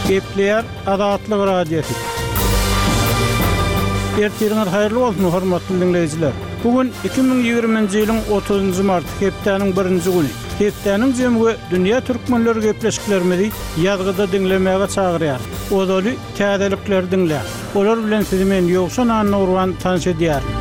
Gepleýär Azatlyk Radiosy. Ertiriňiz haýyrly bolsun, hormatly diňleýjiler! Bu gün 2020-nji ýylyň 30-njy marty, hepdäniň birinji güni. Hepdäniň jemi we dünýä türkmenleri gepleşiklerimizi ýazgyda diňlemäge çagyrýar. Ozaly täzelikleri diňläň. Olar bilen sizi men Ýowşan Annagurban tanyş edýärin.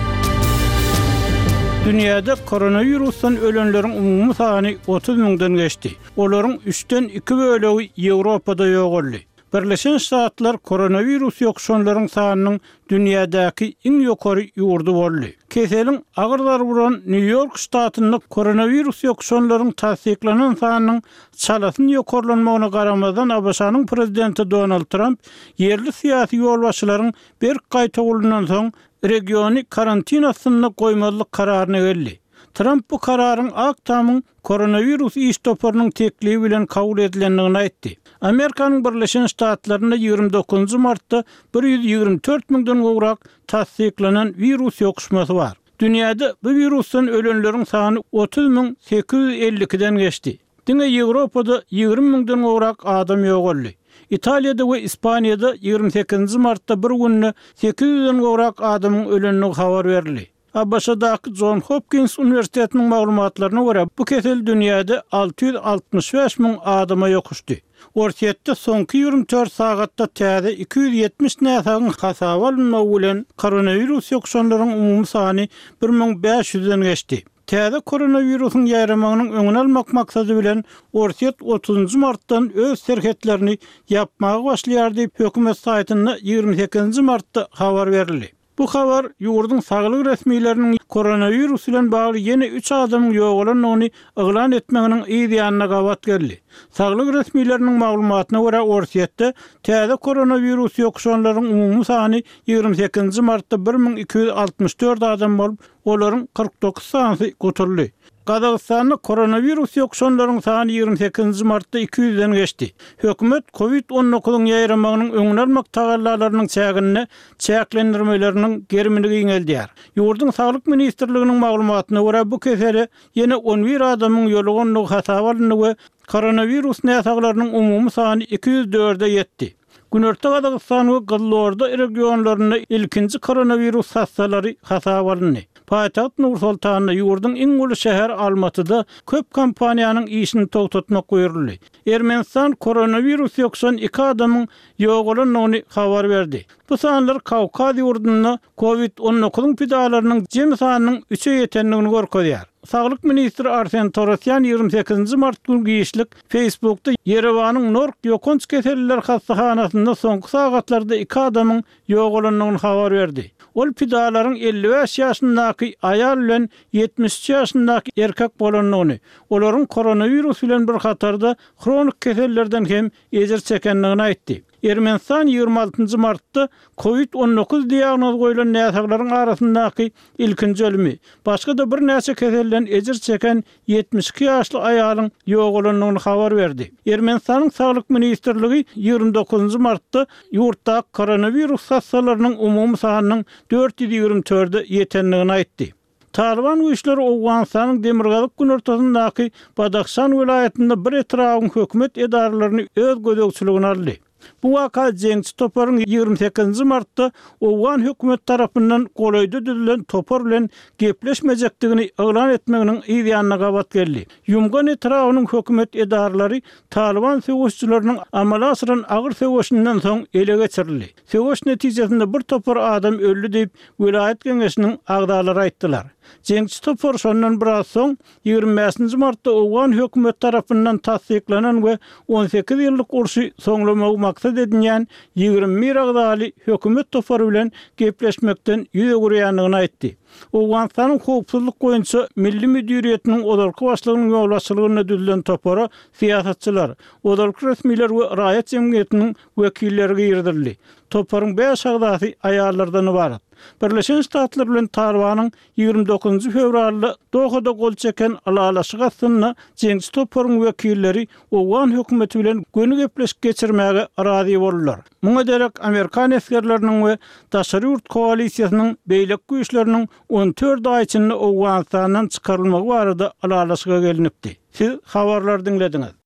Dünýäde koronawirusdan ölenleriň umumy sany 30 müňden geçdi. Olaryň üçden iki bölegi Ýewropada ýogaldy. Birleşen Ştatlar koronawirus ýokuşanlaryň sanynyň dünýädäki iň ýokary ýurdy boldy. Keseliň agyr zarba uran Nýu-Ýork ştatynda koronawirus ýokuşanlaryň tassyklanan sanynyň çalasyn ýokarlanmagyna garamazdan ABŞ-nyň prezidenti Donald Tramp ýerli syýasy ýolbaşçylaryň berk gaýtawulyndan soň regiony karantin astynda goýmazlyk kararyna geldi. Tramp bu kararyň Ak Tamyň koronawirus iş toparynyň teklibi bilen kabul edilendigini aýtdy. Amerikanyň Birleşen Ştatlarynda 29 martda 124 müňden gowrak tassyklanan wirus ýokuşmasy bar. Dünýäde bu wirusdan ölenleriň sany 30 852-den geçdi. Diňe Ýewropada 20 müňden gowrak adam ýogaldy. Italiýada we Ispaniýada 28 martda bir günde 800-den gowrak adamyň ölendigi habar berildi. ABŞ-daky Jon Hopkins uniwersitetiniň maglumatlaryna görä, bu kesel dünýäde 665 müň adama ýokuşdy. Orsýetde soňky 24 sagatda täze 270 näsagyň hasaba alynmagy bilen, koronawirus ýokuşanlaryň umumy sany 1500-den geçdi. Täze koronawirusyň ýaýramagynyň öňüni almak maksady bilen, Orsýet otuzynjy martdan öz serhetlerini ýapmaga başlaýar diýip, hökümet saýtynda 28-nji martda habar berildi. Bu habar ýurduň saglyk resmileriniň koronawirus bilen bagly ýene üç adamyň ýogalandygyny yglan etmeginiň yz ýanyna gabat geldi. Saglyk resmileriniň maglumatyna görä, Orsýetde täze koronawirus ýokuşanlaryň umumy sany 28-nji martda 1264 adam bolup, olaryň 49 sanysy gutuldy. Gazagystanda koronawirus ýokuşanlaryň sany 28-nji martda 200-den geçdi. Hökümet Covid 19-yň ýaýramagynyň öňüni almak tagallalarynyň çäginde çäklendirmeleriniň gerimini giňeldýär. Ýurduň Saglyk ministrliginiň maglumatyna görä, bu kesele ýene on bir adamyň ýolugandygy hasaba alyndy we koronawirus näsaglarynyň umumy sany 204-e ýetdi. Günorta Gazagystan we Gyzylorda regionlarynda ilkinji koronawirus hassalary hasaba alyndy. Paýtagt Nur-Sultanda, ýurduň iň uly şäheri Almatyda köp kompaniýanyň işini togtatmak buýruldy. Ermenistan koronawirus ýokuşan iki adamyň ýogalandygyny habar berdi. Bu sanlar Kawkaz ýurdunda Covid 19-yň pidalarynyň jemi sanynyň üçe ýetendigini görkezýär. Saglyk ministri Arsen Torosýan 28-nji mart güni giçlik Facebookda Ýerewanyň Nork ýokanç keselliler hassahanasynda soňky sagatlarda iki adamyň ýogalandygyny habar berdi. Ol pidalaryň 55 ýaşyndaky aýal bilen 73 ýaşyndaky erkek bolandygyny, olaryň koronawirus bilen bir hatarda hronik kesellerden hem ejir çekendigini aýtdy. Ermenistan 26 martda Covid 19 diagnozy goýlan näsaglaryň arasyndaky ilkinji ölümi, başga-da birnäçe keselden ejir çeken 72 ýaşly aýalyň ýogalandygyny habar berdi. Ermenistanyň Saglyk ministrligi 29 martda ýurtdaky koronawirus hassalarynyň umumy sanynyň 424-e ýetendigini aýtdy. Talyban güýçleri Owganystanyň demirgazyk-günortasyndaky Badahşan welaýatynda bir etrabyň hökümet edaralaryny öz gözegçiligine aldy. Bu waka jeňçi toparyň 28-nji martda owgan hökümeti tarapyndan golaýda düzülen topar bilen gepleşmejekdigini yglan etmeginiň yz ýanyna gabat geldi. Ýumgan etrabynyň hökümet edaralary Talyban söweşijileriniň amala aşyran agyr söweşinden soň ele geçirildi. Söweş netijesinde bir topar adam öldi diýip, welaýat geňeşiniň agzalary aýtdylar. Jeňçi topar şondan biraz soň, 25-nji martda owgan hökümeti tarapyndan tassyklanan we 18 ýyllyk urşy soňlamagy maksat edinýän 21 agzaly hökümet topary bilen gepleşmekden ýüz öwürýändigini aýtdy. Owganystanyň Howpsuzlyk boýunça milli müdiriýetiniň ozalky başlygynyň ýolbaşçylygynda düzülen topara syýasatçylar, ozalky resmiler we raýat jemgyýetiniň wekilleri girizildi. Toparyň bäş agzasy aýallardan ybarat. Birleşen Ştatlar bilen Talybanyň 29-njy fewralda Dohada gol çeken ylalaşygy astynda jeňçi toparyň wekilleri owgan hökümeti bilen göni gepleşik geçirmäge razy boldular. Muňa derek amerikan esgerleriniň we daşary ýurt koalisiýasynyň beýleki güýçleriniň 14 aý içinde Owganystandan çykarylmagy barada ylalaşyga gelnipdi. Siz habarlary diňlediňiz.